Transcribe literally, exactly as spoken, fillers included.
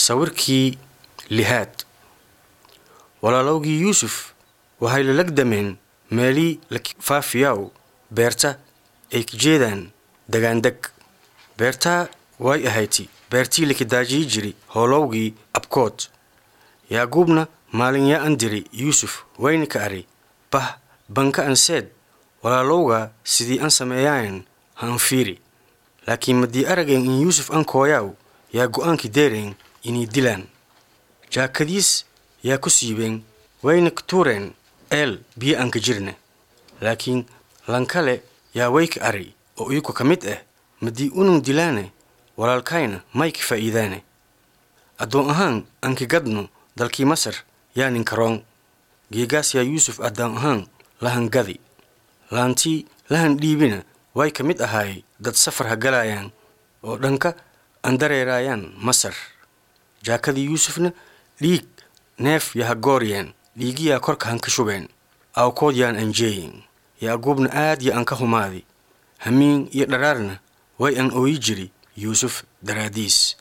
Sawirkii lixaad. Walaalowgii Yuusuf waxay la lagdameen meelii la faafiyaw beerta ay ka jeedaan dagaandeg. Beertaa way ahayti beertii la kidaajiyi jiri hoolowgii abkood. Yaaquubna maalin yaa an diri Yuusuf wayna ka ari bah banka an seed walaalowga sidii an sameeyaan ha an fiiri. Laakiin madii arageen in Yuusuf an kooyaaw yaa go'aankii deereen inay dilaan. Jaakadiis yaa ku siibeen wayna ka tuureen eel biyo aan ka jirna. Laakiin lankale yaa way ka ari oo iyagu ka mid ah madii unun dilaane walaalkayna may ka faa'iidaane. Addoon ahaan aan ka gadno dalkii Masar yaa ninka roon. Geegaas yaa Yuusuf addoon ahaan lahan gadi. Laantii lahan dhiibina way ka mid ahaay dad safar ha galayaan oo dhanka aan dareerayaan Masar. Jaakadii Yuusufna dhiig neef yaha gooryeen dhiigiyaa korka han ka shubeen awkood yaan anjeeyin. Yaaquubna aad ya aan ka humaadi. Hamiin iyo dharaarna way aan ooyi jiri Yuusuf daraadiis.